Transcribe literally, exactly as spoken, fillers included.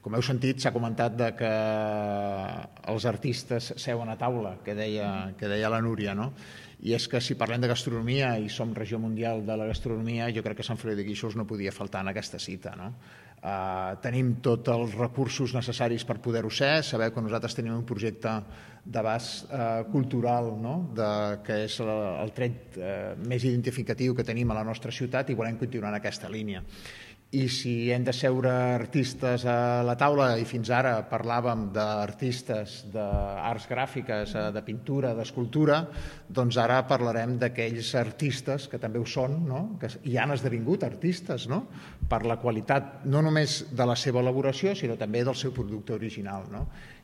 Com heu sentit, s'ha comentat de que els artistes seuen a taula, que deia, que deia la Núria, no? I és que si parlem de gastronomia i som regió mundial de la gastronomia, jo crec que Sant Feliu de Guíxols no podia faltar en aquesta cita, no? Uh, tenim tots els recursos necessaris per poder-ho ser. Sabeu que nosaltres tenim un projecte d'abast uh, cultural, no? de, que és el, el tret uh, més identificatiu que tenim a la nostra ciutat, i volem continuar en aquesta línia. I si hem de seure artistes a la taula, i fins ara parlàvem d'artistes d'arts gràfiques, de pintura, d'escultura, doncs ara parlarem d'aquells artistes que també ho són, no? Que hi han esdevingut artistes, no? Per la qualitat no només de la seva elaboració, sinó també del seu producte original, no?